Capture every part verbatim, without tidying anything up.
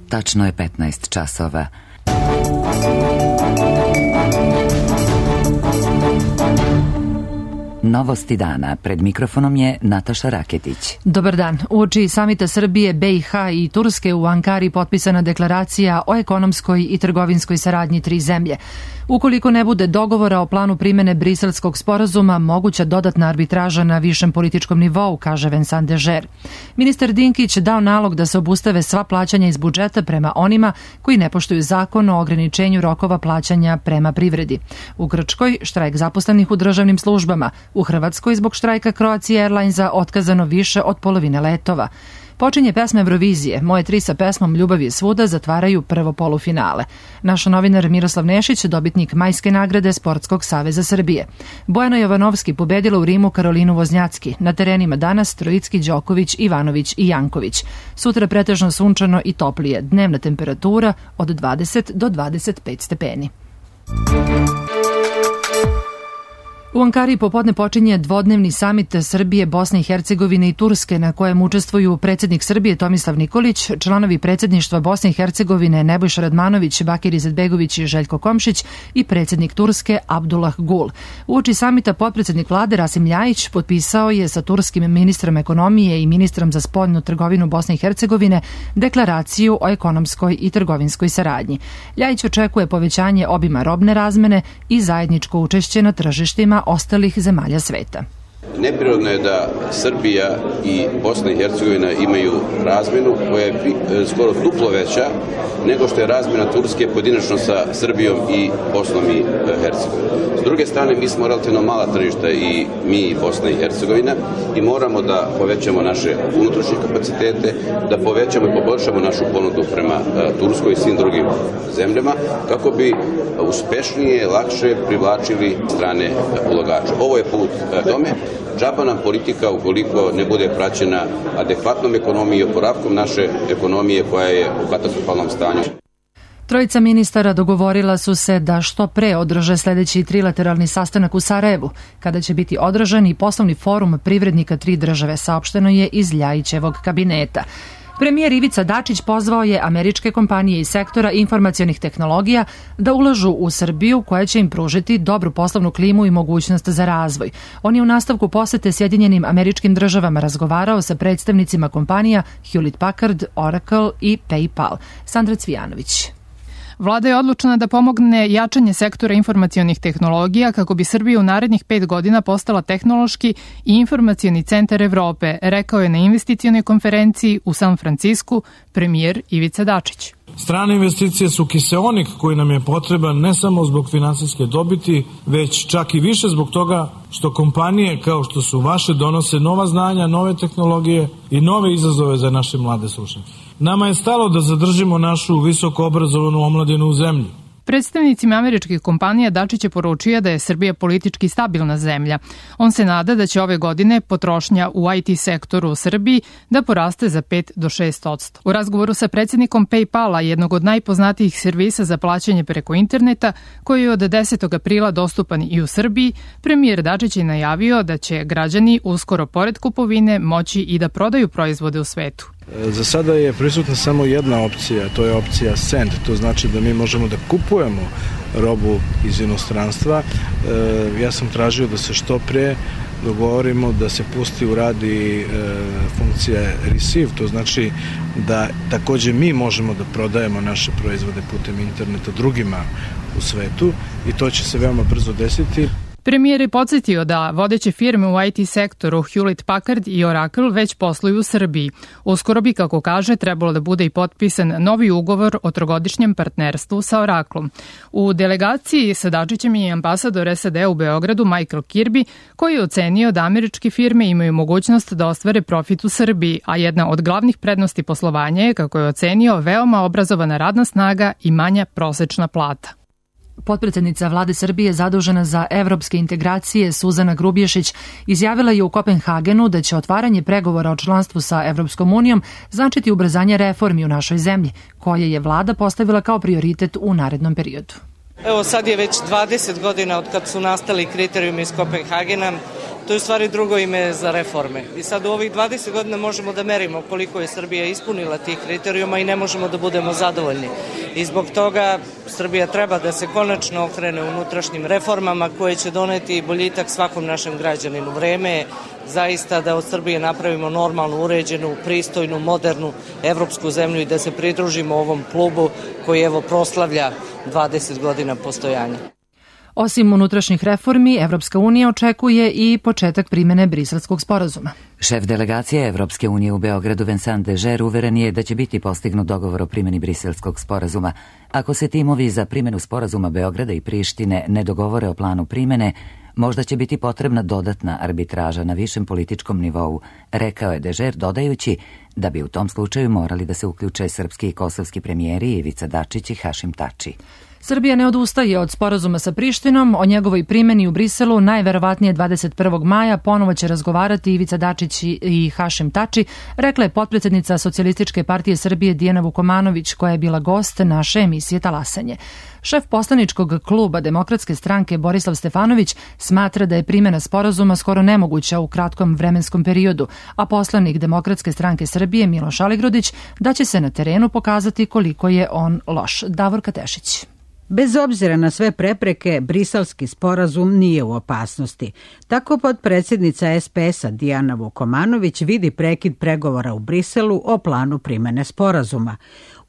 tačno je petnaest časova. Novosti dana. Pred mikrofonom je Nataša Raketić. Dobar dan. Uoči samita Srbije, B i H i Turske u Ankari potpisana deklaracija o ekonomskoj i trgovinskoj saradnji tri zemlje. Ukoliko ne bude dogovora o planu primene Briselskog sporazuma, moguća dodatna arbitraža na višem političkom nivou, kaže Vincent Dežer. Ministar Dinkić dao nalog da se obustave sva plaćanja iz budžeta prema onima koji ne poštuju zakon o ograničenju rokova plaćanja prema privredi. U Grčkoj štrajk zaposlenih u državnim službama. U Hrvatskoj zbog štrajka Croatia Airlinesa otkazano više od polovine letova. Počinje pesma Eurovizije. Moje tri sa pesmom Ljubav je svuda zatvaraju prvo polufinale. Naš novinar Miroslav Nešić, dobitnik majske nagrade Sportskog saveza Srbije. Bojana Jovanovski pobedila u Rimu Karolinu Voznjacki. Na terenima danas Trojicki, Đoković, Ivanović i Janković. Sutra pretežno sunčano i toplije. Dnevna temperatura od dvadeset do dvadeset pet stepeni. U Ankari popodne počinje dvodnevni samit Srbije, Bosne i Hercegovine i Turske na kojem učestvuju predsjednik Srbije Tomislav Nikolić, članovi predsjedništva Bosne i Hercegovine Nebojša Radmanović, Bakir Izetbegović i Željko Komšić i predsjednik Turske Abdullah Gul. Uoči samita potpredsjednik vlade Rasim Ljajić potpisao je sa turskim ministrom ekonomije i ministrom za spoljnu trgovinu Bosne i Hercegovine deklaraciju o ekonomskoj i trgovinskoj saradnji. Ljajić očekuje povećanje obima robne razmene i zajedničko učešće na tržištima ostalih zemalja sveta. Neprirodno je da Srbija i Bosna i Hercegovina imaju razmenu koja je skoro duplo veća nego što je razmena Turske pojedinačno sa Srbijom i Bosnom i Hercegovinom. S druge strane, mi smo relativno mala tržišta i mi i Bosna i Hercegovina i moramo da povećamo naše unutrašnje kapacitete, da povećamo i poboljšamo našu ponudu prema Turskoj i svim drugim zemljama kako bi uspešnije, lakše privlačili strane ulagače. Ovo je put tome. Džaba nam politika ukoliko ne bude praćena adekvatnom ekonomijom i oporavkom naše ekonomije koja je u katastrofalnom stanju. Trojica ministara dogovorila su se da što pre održe sljedeći trilateralni sastanak u Sarajevu, kada će biti održan i poslovni forum privrednika tri države, saopšteno je iz Ljajićevog kabineta. Premijer Ivica Dačić pozvao je američke kompanije iz sektora informacionih tehnologija da ulažu u Srbiju koja će im pružiti dobru poslovnu klimu i mogućnost za razvoj. On je u nastavku posete Sjedinjenim Američkim Državama razgovarao sa predstavnicima kompanija Hewlett Packard, Oracle i PayPal. Sandra Cvijanović. Vlada je odlučena da pomogne jačanje sektora informacionih tehnologija kako bi Srbija u narednih pet godina postala tehnološki i informacioni centar Evrope, rekao je na investicionoj konferenciji u San Francisku premijer Ivica Dačić. Strane investicije su kiseonik koji nam je potreban ne samo zbog finansijske dobiti, već čak i više zbog toga što kompanije kao što su vaše donose nova znanja, nove tehnologije i nove izazove za naše mlade stručnjake. Nama je stalo da zadržimo našu visoko obrazovanu omladinu u zemlji. Predstavnicima američkih kompanija Dačić je poručio da je Srbija politički stabilna zemlja. On se nada da će ove godine potrošnja u I T sektoru u Srbiji da poraste za pet do šest posto. U razgovoru sa predsjednikom PayPala, jednog od najpoznatijih servisa za plaćanje preko interneta, koji je od desetog aprila dostupan i u Srbiji, premijer Dačić je najavio da će građani uskoro pored kupovine moći i da prodaju proizvode u svetu. Za sada je prisutna samo jedna opcija, to je opcija Send, to znači da mi možemo da kupujemo robu iz inostranstva. Ja sam tražio da se što pre dogovorimo da se pusti u radi funkcija Receive, to znači da takođe mi možemo da prodajemo naše proizvode putem interneta drugima u svetu i to će se veoma brzo desiti. Premijer je podsjetio da vodeće firme u I T sektoru Hewlett Packard i Oracle već posluju u Srbiji. Uskoro bi, kako kaže, trebalo da bude i potpisan novi ugovor o trogodišnjem partnerstvu sa Oracleom. U delegaciji sa Dačićem je ambasador S A D u Beogradu Michael Kirby, koji je ocenio da američke firme imaju mogućnost da ostvare profit u Srbiji, a jedna od glavnih prednosti poslovanja je, kako je ocenio, veoma obrazovana radna snaga i manja prosečna plata. Potpredsjednica vlade Srbije zadužena za evropske integracije Suzana Grubješić izjavila je u Kopenhagenu da će otvaranje pregovora o članstvu sa Evropskom unijom značiti ubrzanje reformi u našoj zemlji, koje je vlada postavila kao prioritet u narednom periodu. Evo sad je već dvadeset godina od kad su nastali kriterijumi iz Kopenhagena. to je u stvari drugo ime za reforme. I sad u ovih dvadeset godina možemo da merimo koliko je Srbija ispunila tih kriterijuma i ne možemo da budemo zadovoljni. I zbog toga Srbija treba da se konačno okrene unutrašnjim reformama koje će doneti boljitak svakom našem građaninu. Vreme je zaista da od Srbije napravimo normalnu, uređenu, pristojnu, modernu evropsku zemlju i da se pridružimo ovom klubu koji evo proslavlja dvadeset godina postojanja. Osim unutrašnjih reformi, Evropska unija očekuje i početak primene Briselskog sporazuma. Šef delegacije Evropske unije u Beogradu Vincent Dežer uveren je da će biti postignut dogovor o primjeni Briselskog sporazuma. Ako se timovi za primjenu sporazuma Beograda i Prištine ne dogovore o planu primjene, možda će biti potrebna dodatna arbitraža na višem političkom nivou, rekao je Dežer, dodajući da bi u tom slučaju morali da se uključe srpski i kosovski premijeri Ivica Dačić i Hašim Tači. Srbija ne odustaje od sporazuma sa Prištinom, o njegovoj primjeni u Briselu najverovatnije dvadeset prvog maja ponovo će razgovarati Ivica Dačić i Hašim Tači, rekla je potpredsjednica Socijalističke partije Srbije Dijana Vukomanović, koja je bila gost naše emisije Talasanje. Šef poslaničkog kluba Demokratske stranke Borislav Stefanović smatra da je primjena sporazuma skoro nemoguća u kratkom vremenskom periodu, a poslanik Demokratske stranke Srbije Miloš Aligrudić da će se na terenu pokazati koliko je on loš. Davor Katešić. Bez obzira na sve prepreke, Briselski sporazum nije u opasnosti. Tako potpredsjednica es pe es-a Dijana Vukomanović vidi prekid pregovora u Briselu o planu primene sporazuma.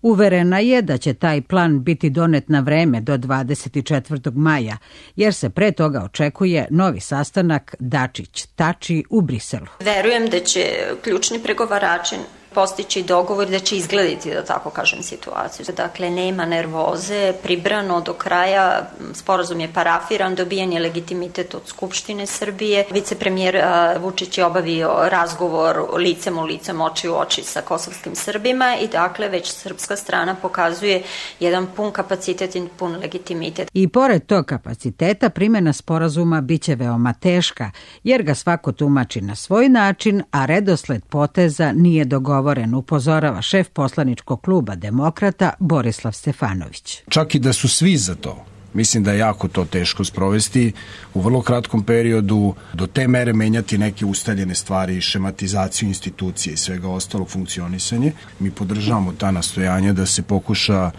Uverena je da će taj plan biti donet na vreme do dvadeset četvrtog maja, jer se pre toga očekuje novi sastanak Dačić-Tači u Briselu. Verujem da će ključni pregovarači postići dogovor da će izgledati, da tako kažem, situaciju. Dakle, nema nervoze, pribrano do kraja, sporazum je parafiran, dobijen je legitimitet od Skupštine Srbije. Vicepremijer Vučić je obavio razgovor licem u licem, oči u oči sa kosovskim Srbima i dakle već srpska strana pokazuje jedan pun kapacitet i pun legitimitet. I pored tog kapaciteta primjena sporazuma biće veoma teška, jer ga svako tumači na svoj način, a redosled poteza nije dogovoren. Upozorava šef poslaničkog kluba Demokrata Borislav Stefanović. Čak i da su svi za to, mislim da je jako to teško sprovesti u vrlo kratkom periodu, do te mere menjati neke ustaljene stvari, šematizaciju institucije i svega ostalog funkcionisanje. Mi podržavamo ta nastojanja da se pokuša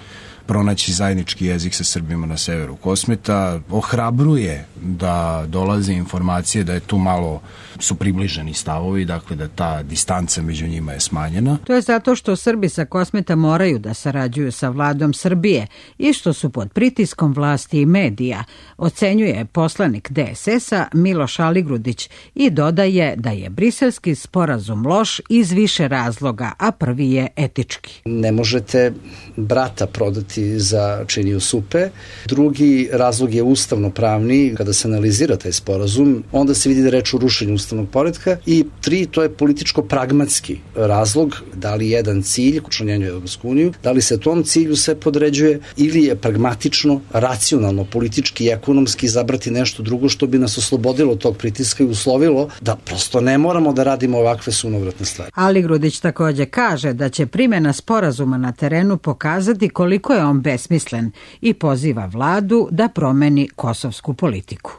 pronaći zajednički jezik sa Srbima na severu Kosmeta. Ohrabruje da dolaze informacije da je tu malo su približeni stavovi, dakle da ta distanca među njima je smanjena. To je zato što Srbi sa Kosmeta moraju da sarađuju sa vladom Srbije i što su pod pritiskom vlasti i medija, ocenjuje poslanik de es es-a Miloš Aligrudić i dodaje da je briselski sporazum loš iz više razloga, a prvi je etički. Ne možete brata prodati za činiju supe. Drugi razlog je ustavno-pravni. Kada se analizira taj sporazum, onda se vidi da reč o rušenju ustavnog poretka. I tri, to je političko-pragmatski razlog. Da li jedan cilj, učlanjenju Evropsku uniju, da li se tom cilju sve podređuje ili je pragmatično, racionalno, politički i ekonomski izabrati nešto drugo što bi nas oslobodilo tog pritiska i uslovilo da prosto ne moramo da radimo ovakve sunovratne stvari. Aligrudić takođe kaže da će primjena sporazuma na terenu pokazati koliko je on besmislen i poziva vladu da promeni kosovsku politiku.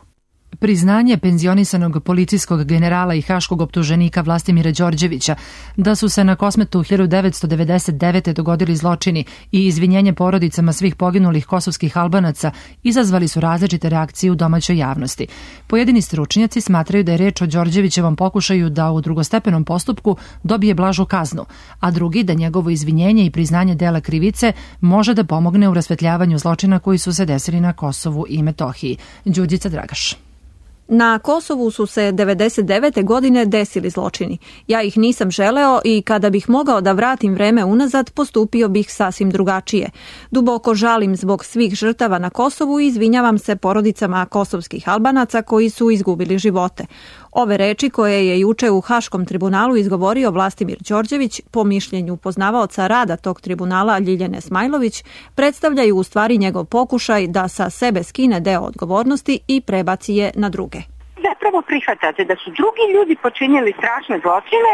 Priznanje penzionisanog policijskog generala i haškog optuženika Vlastimira Đorđevića da su se na Kosmetu hiljadu devetsto devedeset devete. dogodili zločini i izvinjenje porodicama svih poginulih kosovskih Albanaca izazvali su različite reakcije u domaćoj javnosti. Pojedini stručnjaci smatraju da je reč o Đorđevićevom pokušaju da u drugostepenom postupku dobije blažu kaznu, a drugi da njegovo izvinjenje i priznanje dela krivice može da pomogne u rasvetljavanju zločina koji su se desili na Kosovu i Metohiji. Đurđica Dragaš. Na Kosovu su se devedeset devete. godine desili zločini. Ja ih nisam želeo i kada bih mogao da vratim vreme unazad, postupio bih sasvim drugačije. Duboko žalim zbog svih žrtava na Kosovu i izvinjavam se porodicama kosovskih Albanaca koji su izgubili živote. Ove reči koje je juče u Haškom tribunalu izgovorio Vlastimir Đorđević, po mišljenju poznavaoca rada tog tribunala Ljiljane Smajlović, predstavljaju u stvari njegov pokušaj da sa sebe skine deo odgovornosti i prebaci je na druge. Zapravo prihvatate da su drugi ljudi počinjeli strašne zločine,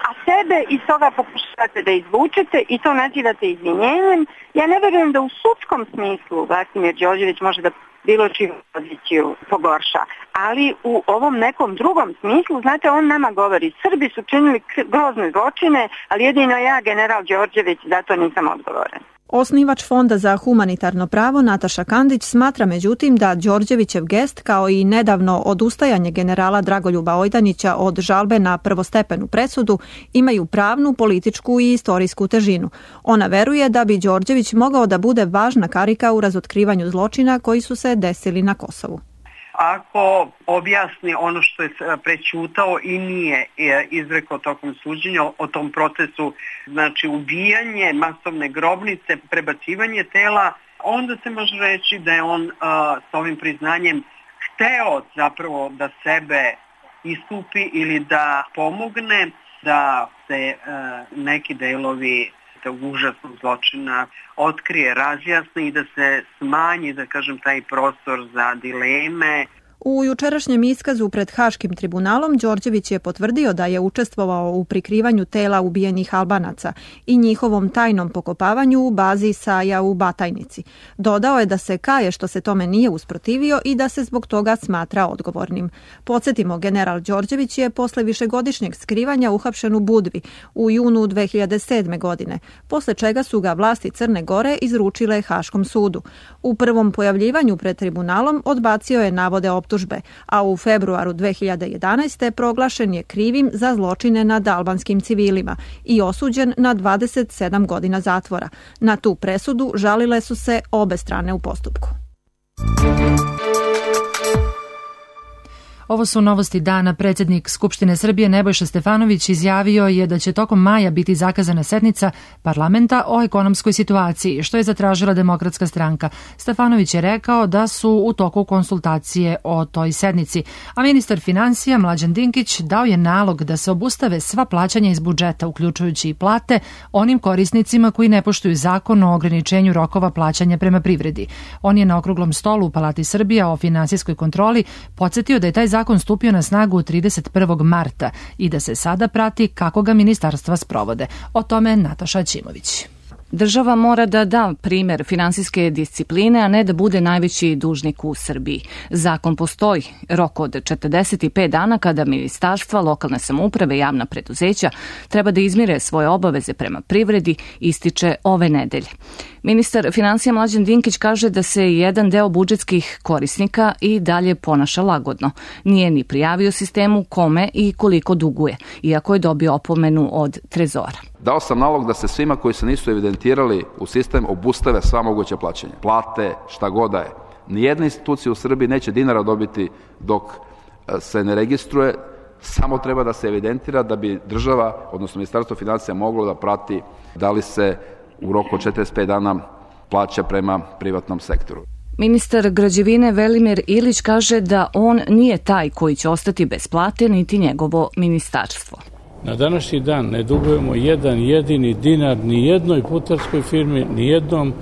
a sebe iz toga pokušavate da izvučete i to nazivate izvinjenjem. Ja ne verujem da u sudskom smislu Vladimir Đorđević može da bilo čiju poziciju pogorša. Ali u ovom nekom drugom smislu, znate, on nama govori, Srbi su činili grozne zločine, ali jedino ja, general Đorđević, zato nisam odgovoran. Osnivač Fonda za humanitarno pravo Nataša Kandić smatra međutim da Đorđevićev gest kao i nedavno odustajanje generala Dragoljuba Ojdanića od žalbe na prvostepenu presudu imaju pravnu, političku i istorijsku težinu. Ona veruje da bi Đorđević mogao da bude važna karika u razotkrivanju zločina koji su se desili na Kosovu. Ako objasni ono što je prećutao i nije izrekao tokom suđenja o tom procesu, znači ubijanje, masovne grobnice, prebacivanje tela, onda se može reći da je on uh, s ovim priznanjem hteo zapravo da sebe istupi ili da pomogne da se uh, neki delovi tog užasnog zločina otkrije, razjasni i da se smanji, da kažem, taj prostor za dileme. U jučerašnjem iskazu pred Haškim tribunalom Đorđević je potvrdio da je učestvovao u prikrivanju tela ubijenih Albanaca i njihovom tajnom pokopavanju u bazi Saja u Batajnici. Dodao je da se kaje što se tome nije usprotivio i da se zbog toga smatra odgovornim. Podsjetimo, general Đorđević je posle višegodišnjeg skrivanja uhapšen u Budvi u junu dve hiljade sedme. godine, posle čega su ga vlasti Crne Gore izručile Haškom sudu. U prvom pojavljivanju pred tribunalom odbacio je navode optužbe, a u februaru dve hiljade jedanaeste. proglašen je krivim za zločine nad albanskim civilima i osuđen na dvadeset sedam godina zatvora. Na tu presudu žalile su se obe strane u postupku. Ovo su novosti dana. Predsjednik Skupštine Srbije Nebojša Stefanović izjavio je da će tokom maja biti zakazana sednica parlamenta o ekonomskoj situaciji, što je zatražila Demokratska stranka. Stefanović je rekao da su u toku konsultacije o toj sednici, a ministar finansija Mlađan Dinkić dao je nalog da se obustave sva plaćanja iz budžeta, uključujući i plate, onim korisnicima koji ne poštuju zakon o ograničenju rokova plaćanja prema privredi. On je na okruglom stolu u Palati Srbija o finansijskoj kontroli podsjetio da je taj zakon stupio na snagu trideset prvog marta i da se sada prati kako ga ministarstva sprovode. O tome Nataša Ćimović. Država mora da da primer finansijske discipline, a ne da bude najveći dužnik u Srbiji. Zakon postoji, rok od četrdeset pet dana kada ministarstva, lokalne samouprave i javna preduzeća treba da izmire svoje obaveze prema privredi, ističe ove nedelje. Ministar finansija Mlađan Dinkić kaže da se jedan deo budžetskih korisnika i dalje ponaša lagodno. Nije ni prijavio sistemu kome i koliko duguje, iako je dobio opomenu od Trezora. Dao sam nalog da se svima koji se nisu evidentirali u sistem obustave sva moguća plaćanja. Plate, šta god da je. Nijedna institucija u Srbiji neće dinara dobiti dok se ne registruje, samo treba da se evidentira da bi država, odnosno Ministarstvo finansija, moglo da prati da li se u roku od četrdeset pet dana plaća prema privatnom sektoru. Ministar građevine Velimir Ilić kaže da on nije taj koji će ostati bez plate, niti njegovo ministarstvo. Na današnji dan ne dugujemo jedan jedini dinar ni jednoj putarskoj firmi, ni jednom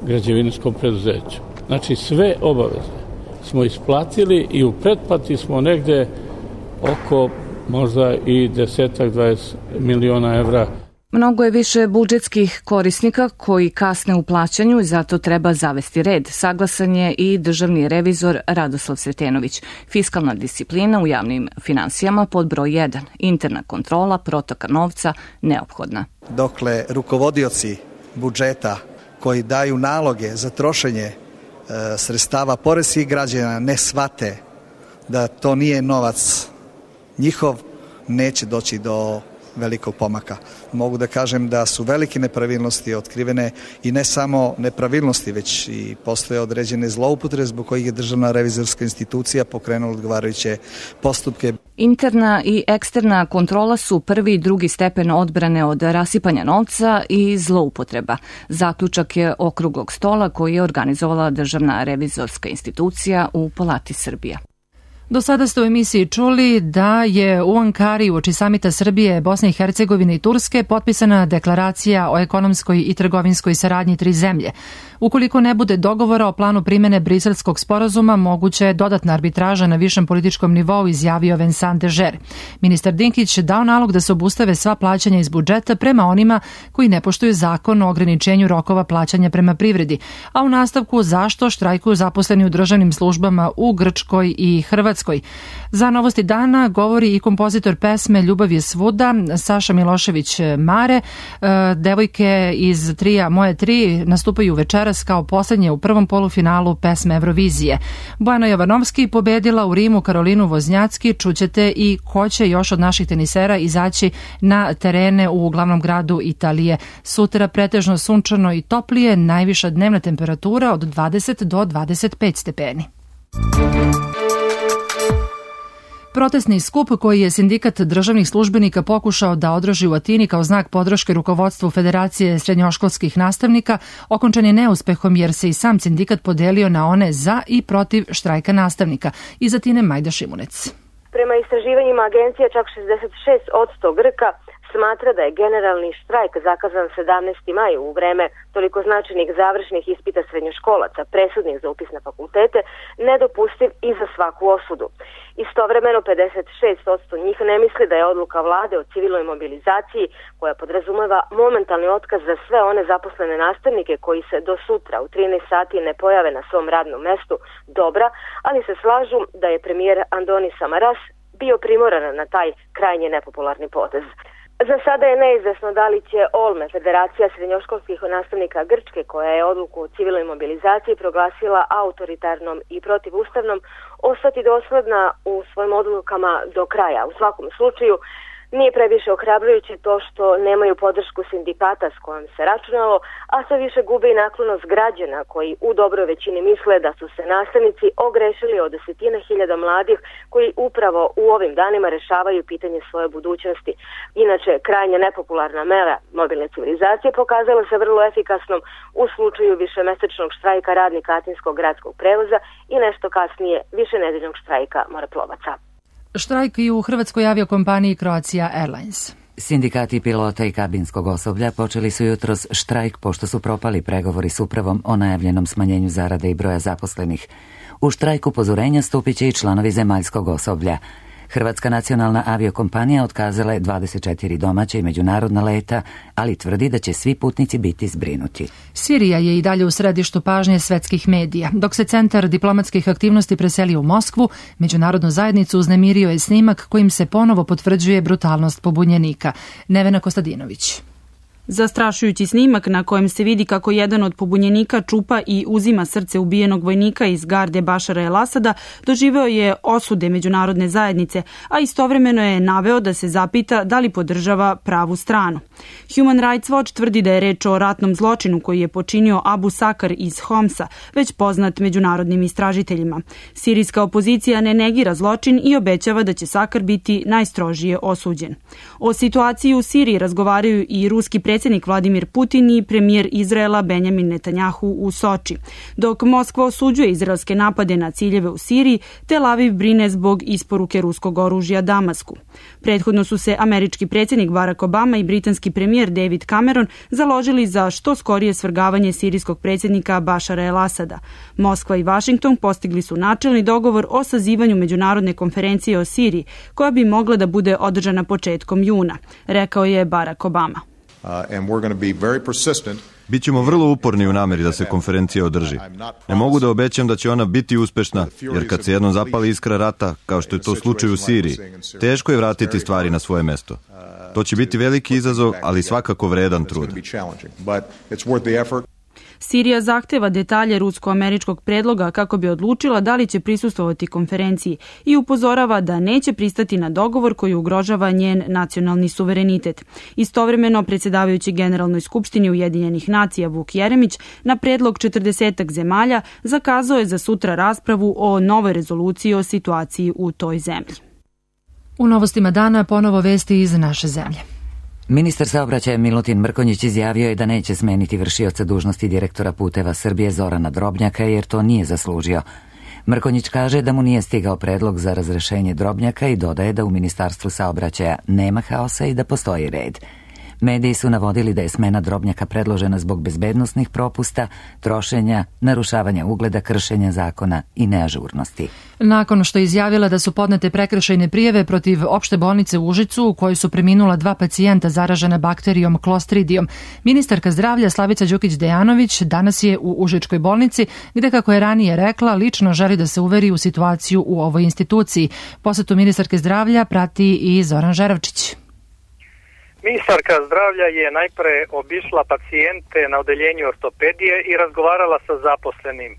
građevinskom preduzeću. Znači sve obaveze smo isplatili i u pretplati smo negde oko možda i desetak, dvadeset miliona evra. Mnogo je više budžetskih korisnika koji kasne u plaćanju i zato treba zavesti red. Saglasan je i državni revizor Radoslav Sretenović. Fiskalna disciplina u javnim finansijama pod broj jedan. Interna kontrola protoka novca neophodna. Dokle rukovodioci budžeta koji daju naloge za trošenje e, sredstava poreskih građana ne shvate da to nije novac njihov, neće doći do velikog pomaka. Mogu da kažem da su velike nepravilnosti otkrivene i ne samo nepravilnosti, već i postoje određene zloupotrebe zbog kojih je Državna revizorska institucija pokrenula odgovarajuće postupke. Interna i eksterna kontrola su prvi i drugi stepen odbrane od rasipanja novca i zloupotreba. Zaključak je okruglog stola koji je organizovala Državna revizorska institucija u Palati Srbija. Do sada ste u emisiji čuli da je u Ankari uoči samita Srbije, Bosne i Hercegovine i Turske potpisana deklaracija o ekonomskoj i trgovinskoj saradnji tri zemlje. Ukoliko ne bude dogovora o planu primene Briselskog sporazuma, moguće je dodatna arbitraža na višem političkom nivou, izjavio Vincent de Ger. Ministar Dinkić dao nalog da se obustave sva plaćanja iz budžeta prema onima koji ne poštuju zakon o ograničenju rokova plaćanja prema privredi, a u nastavku zašto štrajkuju zaposleni u državnim službama u Grčkoj i Hrvatskoj. Za Novosti dana govori i kompozitor pesme Ljubav je svuda, Saša Milošević Mare. Devojke iz trija Moje tri nastupaju večeras kao poslednje u prvom polufinalu pesme Eurovizije. Bojana Jovanovski pobedila u Rimu Karolinu Voznjacki. Čućete i ko će još od naših tenisera izaći na terene u glavnom gradu Italije. Sutra pretežno sunčano i toplije, najviša dnevna temperatura od dvadeset do dvadeset pet stepeni. Protestni skup koji je sindikat državnih službenika pokušao da održi u Atini kao znak podrške rukovodstvu Federacije srednjoškolskih nastavnika okončan je neuspehom jer se i sam sindikat podelio na one za i protiv štrajka nastavnika. Iz Atine Majda Šimunec. Prema istraživanjima agencije čak šezdeset šest posto Grka smatra da je generalni štrajk zakazan sedamnaesti maj u vreme toliko značajnih završnih ispita srednjoškolaca, presudnih za upis na fakultete, nedopustiv i za svaku osudu. Istovremeno pedeset šest posto njih ne misli da je odluka vlade o civilnoj mobilizaciji, koja podrazumeva momentalni otkaz za sve one zaposlene nastavnike koji se do sutra u trinaest sati ne pojave na svom radnom mestu, dobra, ali se slažu da je premijer Andoni Samaras bio primoran na taj krajnje nepopularni potez. Za sada je neizvesno da li će Olme, Federacija srednjoškolskih nastavnika Grčke, koja je odluku o civilnoj mobilizaciji proglasila autoritarnom i protivustavnom, ostati dosledna u svojim odlukama do kraja. U svakom slučaju, nije previše ohrabrujuće to što nemaju podršku sindikata s kojom se računalo, a sve više gube i naklonost građana koji u dobroj većini misle da su se nastavnici ogrešili od desetine hiljada mladih koji upravo u ovim danima rešavaju pitanje svoje budućnosti. Inače, krajnje nepopularna mera mobilne civilizacije pokazala se vrlo efikasnom u slučaju višemesečnog štrajka radnika Atinskog gradskog prevoza i nešto kasnije višenedeljnog štrajka moreplovaca. Štrajk i u hrvatskoj aviokompaniji Croatia Airlines. Sindikati pilota i kabinskog osoblja počeli su jutros štrajk pošto su propali pregovori s upravom o najavljenom smanjenju zarade i broja zaposlenih. U štrajk upozorenja stupit će i članovi zemaljskog osoblja. Hrvatska nacionalna aviokompanija otkazala je dvadeset četiri domaća i međunarodna leta, ali tvrdi da će svi putnici biti zbrinuti. Sirija je i dalje u središtu pažnje svetskih medija. Dok se centar diplomatskih aktivnosti preselio u Moskvu, međunarodnu zajednicu uznemirio je snimak kojim se ponovo potvrđuje brutalnost pobunjenika. Nevena Kostadinović. Zastrašujući snimak na kojem se vidi kako jedan od pobunjenika čupa i uzima srce ubijenog vojnika iz garde Bašara el-Asada doživeo je osude međunarodne zajednice, a istovremeno je naveo da se zapita da li podržava pravu stranu. Human Rights Watch tvrdi da je reč o ratnom zločinu koji je počinio Abu Sakar iz Homsa, već poznat međunarodnim istražiteljima. Sirijska opozicija ne negira zločin i obećava da će Sakar biti najstrožije osuđen. O situaciji u Siriji razgovaraju i ruski predsjednik predsjednik Vladimir Putin i premijer Izraela Benjamin Netanjahu u Soči. Dok Moskva osuđuje izraelske napade na ciljeve u Siriji, Tel Aviv brine zbog isporuke ruskog oružja Damasku. Prethodno su se američki predsjednik Barack Obama i britanski premijer David Cameron založili za što skorije svrgavanje sirijskog predsjednika Bašara el-Asada. Moskva i Vašington postigli su načelni dogovor o sazivanju međunarodne konferencije o Siriji, koja bi mogla da bude održana početkom juna, rekao je Barack Obama. Bićemo vrlo uporni u nameri da se konferencija održi. Ne mogu da obećam da će ona biti uspešna, jer kad se jednom zapali iskra rata, kao što je to slučaj u Siriji, teško je vratiti stvari na svoje mesto. To će biti veliki izazov, ali svakako vredan trud. Sirija zahteva detalje rusko-američkog predloga kako bi odlučila da li će prisustvovati konferenciji i upozorava da neće pristati na dogovor koji ugrožava njen nacionalni suverenitet. Istovremeno, predsjedavajući Generalnoj skupštini Ujedinjenih nacija Vuk Jeremić na predlog četrdesetak zemalja zakazao je za sutra raspravu o novoj rezoluciji o situaciji u toj zemlji. U novostima dana ponovo vesti iz naše zemlje. Ministar saobraćaja Milutin Mrkonjić izjavio je da neće smeniti vršioca dužnosti direktora Puteva Srbije Zorana Drobnjaka jer to nije zaslužio. Mrkonjić kaže da mu nije stigao predlog za razrešenje Drobnjaka i dodaje da u Ministarstvu saobraćaja nema haosa i da postoji red. Mediji su navodili da je smena Drobnjaka predložena zbog bezbednosnih propusta, trošenja, narušavanja ugleda, kršenja zakona i neažurnosti. Nakon što je izjavila da su podnete prekršajne prijave protiv opšte bolnice u Užicu u kojoj su preminula dva pacijenta zaražena bakterijom Clostridijom, ministarka zdravlja Slavica Đukić-Dejanović danas je u Užičkoj bolnici gde, kako je ranije rekla, lično želi da se uveri u situaciju u ovoj instituciji. Posetu ministarke zdravlja prati i Zoran Žeravčić. Ministarka zdravlja je najpre obišla pacijente na odeljenju ortopedije i razgovarala sa zaposlenim.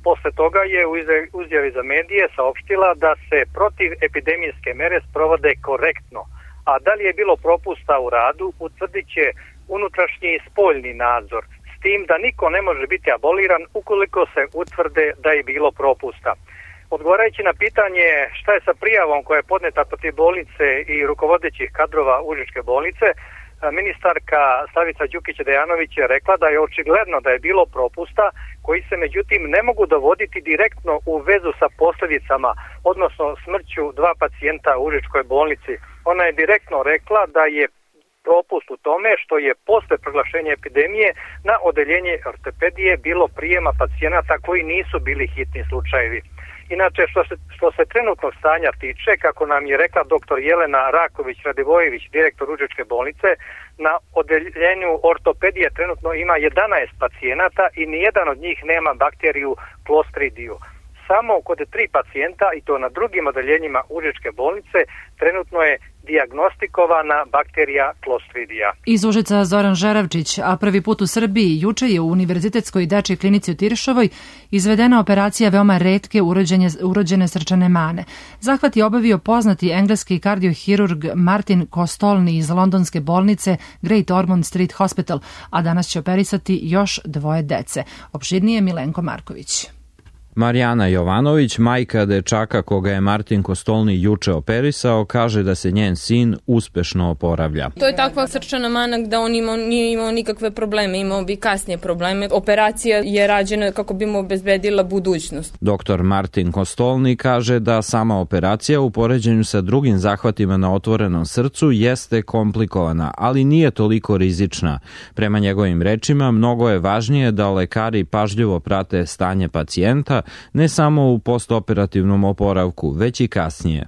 Posle toga je u izjavi za medije saopštila da se protiv epidemijske mere sprovode korektno, a da li je bilo propusta u radu utvrdit će unutrašnji i spoljni nadzor, s tim da niko ne može biti aboliran ukoliko se utvrde da je bilo propusta. Odgovarajući na pitanje šta je sa prijavom koja je podneta protiv bolnice i rukovodećih kadrova Užičke bolnice, ministarka Slavica Đukić-Dejanović je rekla da je očigledno da je bilo propusta koji se međutim ne mogu dovoditi direktno u vezu sa posljedicama, odnosno smrću dva pacijenta u Užičkoj bolnici. Ona je direktno rekla da je propust u tome što je posle proglašenja epidemije na odeljenje ortopedije bilo prijema pacijenata koji nisu bili hitni slučajevi. Inače, što se, što se trenutnog stanja tiče, kako nam je rekla doktor Jelena Raković-Radivojević, direktor Užičke bolnice, na odeljenju ortopedije trenutno ima jedanaest pacijenata i nijedan od njih nema bakteriju Clostridiju. Samo kod tri pacijenta, i to na drugim odeljenjima Užičke bolnice, trenutno je dijagnostikovana bakterija Clostridija. Iz Užica Zoran Žeravčić, a prvi put u Srbiji juče je u Univerzitetskoj dečjoj klinici u Tiršovoj izvedena operacija veoma retke urođene, urođene srčane mane. Zahvat je obavio poznati engleski kardiohirurg Martin Kostolny iz londonske bolnice Great Ormond Street Hospital, a danas će operisati još dvoje dece. Opširnije Milenko Marković. Marijana Jovanović, majka dečaka koga je Martin Kostolny juče operisao, kaže da se njen sin uspešno oporavlja. To je takva srčana mana da on imao, nije imao nikakve probleme, imao bi kasnije probleme. Operacija je rađena kako bi mu obezbedila budućnost. Doktor Martin Kostolny kaže da sama operacija u poređenju sa drugim zahvatima na otvorenom srcu jeste komplikovana, ali nije toliko rizična. Prema njegovim rečima, mnogo je važnije da lekari pažljivo prate stanje pacijenta, ne samo u postoperativnom oporavku, već i kasnije.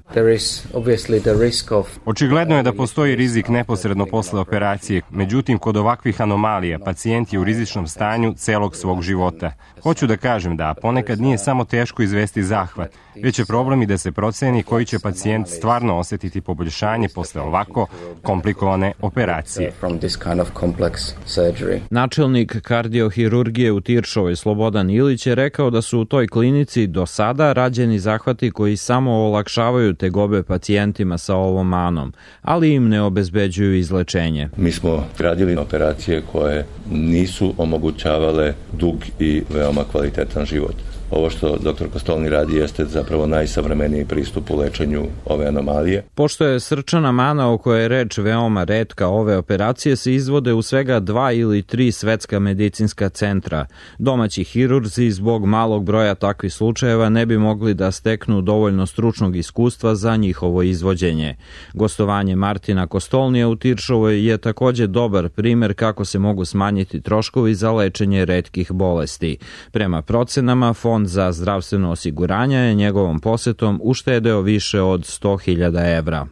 Očigledno je da postoji rizik neposredno posle operacije, međutim kod ovakvih anomalija pacijent je u rizičnom stanju celog svog života. Hoću da kažem da ponekad nije samo teško izvesti zahvat, već je problem i da se proceni koji će pacijent stvarno osetiti poboljšanje posle ovako komplikovane operacije. Načelnik kardiohirurgije u Tiršovoj Slobodan Ilić je rekao da su u toj klinici do sada rađeni zahvati koji samo olakšavaju tegobe pacijentima sa ovom manom, ali im ne obezbeđuju izlečenje. Mi smo radili operacije koje nisu omogućavale dug i veoma kvalitetan život. Ovo što doktor Kostolny radi jeste zapravo najsavremeniji pristup u lečenju ove anomalije. Pošto je srčana mana o kojoj je reč veoma retka, ove operacije se izvode u svega dva ili tri svetska medicinska centra. Domaći hirurzi zbog malog broja takvih slučajeva ne bi mogli da steknu dovoljno stručnog iskustva za njihovo izvođenje. Gostovanje Martina Kostolnija u Tiršovoj je takođe dobar primer kako se mogu smanjiti troškovi za lečenje retkih bolesti. Prema procenama, Fond za zdravstveno osiguranje je njegovom posetom uštedeo više od sto hiljada evra.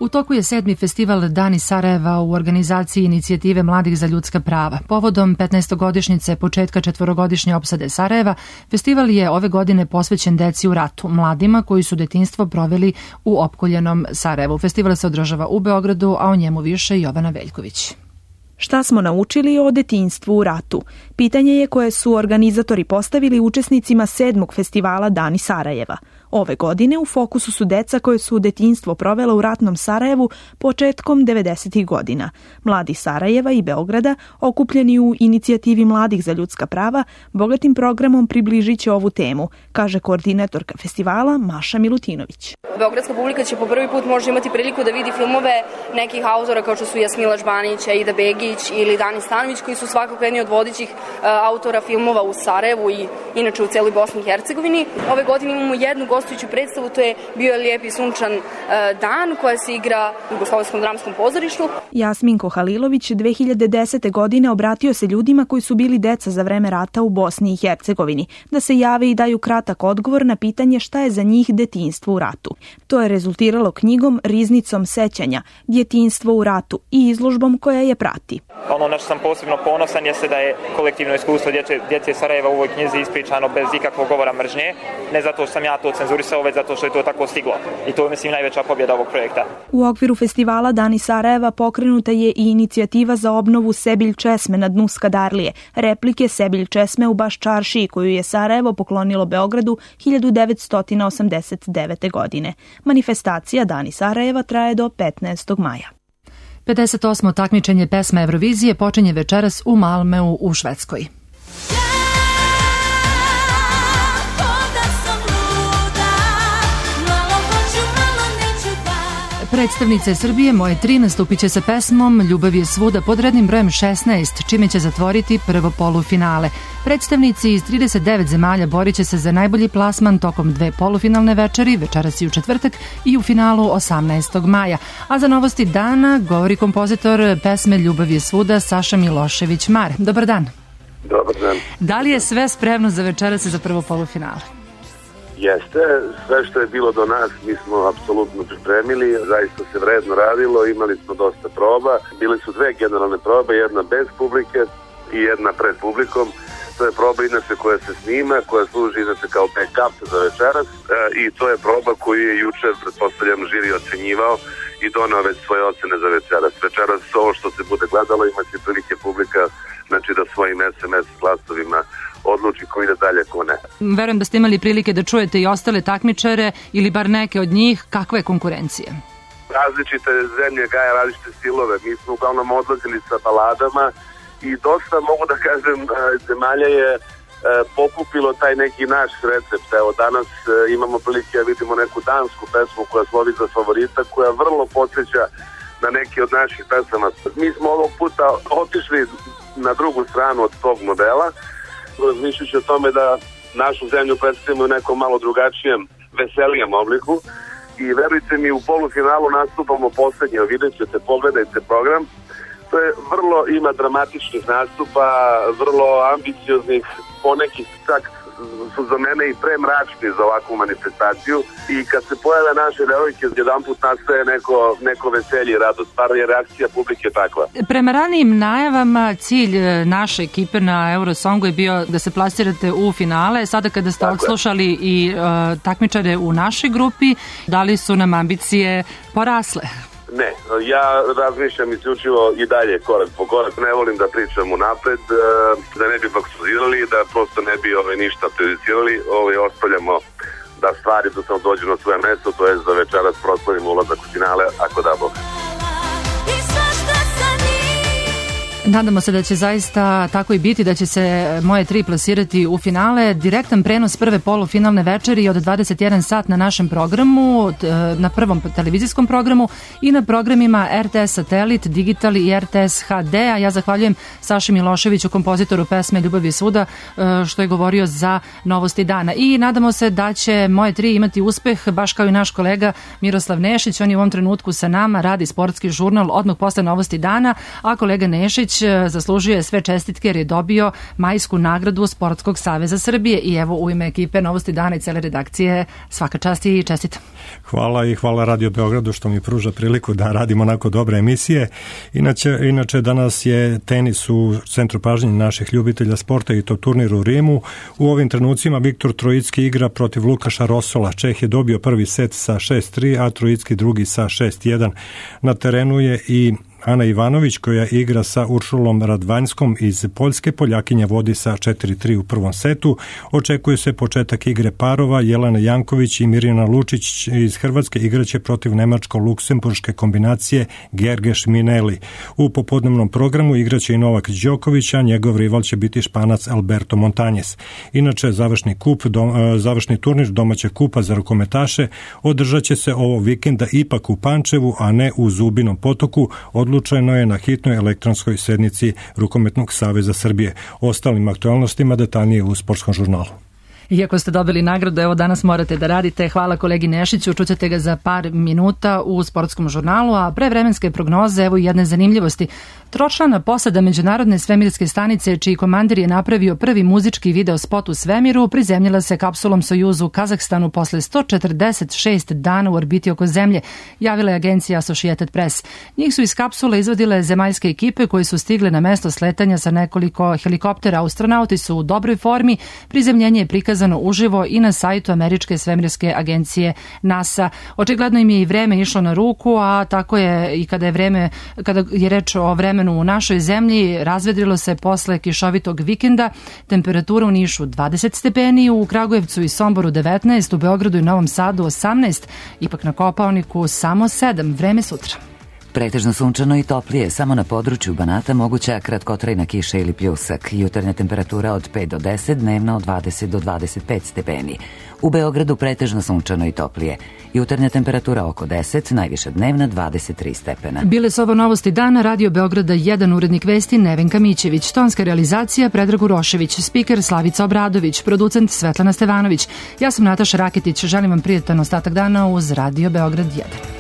U toku je sedmi festival Dani Sarajeva u organizaciji Inicijative mladih za ljudska prava. Povodom petnaestogodišnjice početka četvorogodišnje opsade Sarajeva, festival je ove godine posvećen deci u ratu, mladima koji su detinjstvo proveli u opkoljenom Sarajevu. Festival se održava u Beogradu, a o njemu više Jovana Veljković. Šta smo naučili o detinjstvu u ratu? Pitanje je koje su organizatori postavili učesnicima sedmog festivala Dani Sarajeva. Ove godine u fokusu su deca koje su detinjstvo provela u ratnom Sarajevu početkom devedesetih godina. Mladi Sarajeva i Beograda, okupljeni u inicijativi Mladih za ljudska prava, bogatim programom približit će ovu temu, kaže koordinatorka festivala Maša Milutinović. Beogradska publika će po prvi put možda imati priliku da vidi filmove nekih autora kao što su Jasmila Žbanić, Aida Begić ili Dani Stanović, koji su svakako jedni od vodećih uh, autora filmova u Sarajevu i inače u celoj Bosni i Hercegovini. Ove godine imamo jednu gostujuću predstavu, to je Bio je lijep i sunčan uh, dan, koja se igra u Jugoslovenskom dramskom pozorištu. Jasminko Halilović dve hiljade desete. godine obratio se ljudima koji su bili deca za vreme rata u Bosni i Hercegovini, da se jave i daju kratak odgovor na pitanje šta je za njih detinjstvo u ratu. To je rezultiralo knjigom Riznicom sećanja, Djetinjstvo u ratu i izložbom koja je prati. Ono na što sam posebno ponosan jeste da je kolektivno iskustvo djece, djece Sarajeva u ovoj knjizi ispričano bez ikakvog govora mržnje, ne zato što sam ja to cenzurisao, već zato što je to tako stiglo. I to je, mislim, najveća pobjeda ovog projekta. U okviru festivala Dani Sarajeva pokrenuta je i inicijativa za obnovu Sebilj česme na dnu Skadarlije, replike Sebilj česme u Baščaršiji, koju je Sarajevo poklonilo Beogradu hiljadu devetsto osamdeset devete. godine. Manifestacija Dani Sarajeva traje do petnaestog maja. pedeset osmo takmičenje pesme Eurovizije počinje večeras u Malmeu u Švedskoj. Predstavnice Srbije Moje tri nastupit će sa pesmom Ljubav je svuda pod rednim brojem šesnaest, čime će zatvoriti prvo polufinale. Predstavnici iz trideset devet zemalja borit će se za najbolji plasman tokom dve polufinalne večeri, večeras i u četvrtak, i u finalu osamnaestog maja. A za novosti dana govori kompozitor pesme Ljubav je svuda Saša Milošević-Mar. Dobar dan. Dobar dan. Da li je sve spremno za večeras i za prvo polufinale? Jeste, sve što je bilo do nas mi smo apsolutno pripremili, zaista se vredno radilo, imali smo dosta proba, bile su dve generalne probe, jedna bez publike i jedna pred publikom. To je proba inače koja se snima, koja služi inače kao backup za večeras e, i to je proba koju je juče, pretpostavljam, žiri ocenjivao i donao već svoje ocene za večeras. Večeras ovo što se bude gledalo imaće prilike publika, znači da svojim es em es glasovima odluči ko ide dalje, ko ne. Verujem da ste imali prilike da čujete i ostale takmičare ili bar neke od njih. Kakva je konkurencija? Različite zemlje gaje različite stilove. Mi smo uglavnom odlazili sa baladama i dosta, mogu da kažem, zemalja je pokupilo taj neki naš recept. Evo danas imamo prilike da vidimo neku dansku pesmu koja slovi za favorita, koja vrlo podsjeća na neki od naših pesama. Mi smo ovog puta otišli na drugu stranu od tog modela, razmišljajući o tome da našu zemlju predstavimo u nekom malo drugačijem, veselijem obliku. I verujte mi, u polufinalu nastupamo poslednje, vidjet ćete, pogledajte program. To je vrlo, ima dramatičnih nastupa, vrlo ambicioznih, ponekih čak su za mene i premračni za ovakvu manifestaciju. I kad se pojave naše devojke, jedan put nastaje neko, neko veselje i radost, bar je reakcija publike takva. Prema ranijim najavama, cilj naše ekipe na Eurosongu je bio da se plasirate u finale. Sada kada ste Tako odslušali je. i uh, takmičare u našoj grupi, da li su nam ambicije porasle? Ne, ja razmišljam isključivo i dalje korak po korak, ne volim da pričam unapred, da ne bi baksuzirali, da prosto ne bi ove ništa prejudicirali, ove ostavljamo da stvari do dođu na svoje mesto, to je za večeras proslavimo ulazak u finale, ako da Bog. Nadamo se da će zaista tako i biti, da će se Moje tri plasirati u finale. Direktan prenos prve polufinalne večeri od dvadeset jedan sat na našem programu, na prvom televizijskom programu i na programima er te es Satelit, Digital i er te es ha de. A ja zahvaljujem Saši Miloševiću, kompozitoru pesme Ljubav je svuda, što je govorio za novosti dana. I nadamo se da će Moje tri imati uspeh, baš kao i naš kolega Miroslav Nešić. On je u ovom trenutku sa nama, radi sportski žurnal odmah posle novosti dana, a kolega Nešić zaslužuje sve čestitke jer je dobio majsku nagradu Sportskog saveza Srbije. I evo, u ime ekipe Novosti dana i cele redakcije, svaka čast i čestitam. Hvala i hvala Radio Beogradu što mi pruža priliku da radim onako dobre emisije. Inače, inače danas je tenis u centru pažnje naših ljubitelja sporta i to turnir u Rimu. U ovim trenucima Viktor Trojicki igra protiv Lukaša Rosola. Čeh je dobio prvi set sa šest tri, a Trojicki drugi sa šest jedan. Na terenu je i Ana Ivanović, koja igra sa Uršulom Radvanjskom iz Poljske, Poljakinja vodi sa četiri tri u prvom setu. Očekuje se početak igre parova. Jelena Janković i Mirjana Lučić iz Hrvatske igraće protiv nemačko-luksemburške kombinacije Gergeš Mineli. U popodnevnom programu igraće i Novak Đoković, a njegov rival će biti Španac Alberto Montañez. Inače, završni kup, do, završni turnir domaćeg kupa za rukometaše održat će se ovog vikenda ipak u Pančevu, a ne u Zubinom Potoku. Odlučeno je na hitnoj elektronskoj sednici Rukometnog saveza Srbije. Ostalim aktualnostima detaljnije u Sportskom žurnalu. Iako ste dobili nagradu, evo danas morate da radite. Hvala kolegi Nešiću, čućete ga za par minuta u Sportskom žurnalu, a pre vremenske prognoze, evo jedne zanimljivosti. Tročlana posada Međunarodne svemirske stanice, čiji komandir je napravio prvi muzički video spot u svemiru, prizemljila se kapsulom Sojuz u Kazahstanu posle sto četrdeset šest dana u orbiti oko Zemlje, javila je agencija Associated Press. Njih su iz kapsule izvadile zemaljske ekipe koji su stigle na mesto sletanja sa nekoliko helikoptera. Astronauti su u dobroj formi, prizemljenje je prikazano uživo i na sajtu američke svemirske agencije NASA. Očigledno im je i vreme išlo na ruku, a tako je i kada je vreme, kada je reč o vremenu u našoj zemlji, razvedrilo se posle kišovitog vikenda. Temperatura u Nišu dvadeset stepeni, u Kragujevcu i Somboru devetnaest, u Beogradu i Novom Sadu osamnaest, ipak na Kopaoniku samo sedam. Vreme sutra. Pretežno sunčano i toplije, samo na području Banata moguća kratkotrajna kiša ili pljusak. Jutarnja temperatura od pet do deset, dnevna od dvadeset do dvadeset pet stepeni. U Beogradu pretežno sunčano i toplije. Jutarnja temperatura oko deset, najviša dnevna dvadeset tri stepena. Bile su ovo novosti dana, Radio Beograda jedan, urednik vesti Nevenka Mićević, tonska realizacija Predrag Urošević, spiker Slavica Obradović, producent Svetlana Stevanović. Ja sam Nataša Raketić, želim vam prijatan ostatak dana uz Radio Beograd jedan.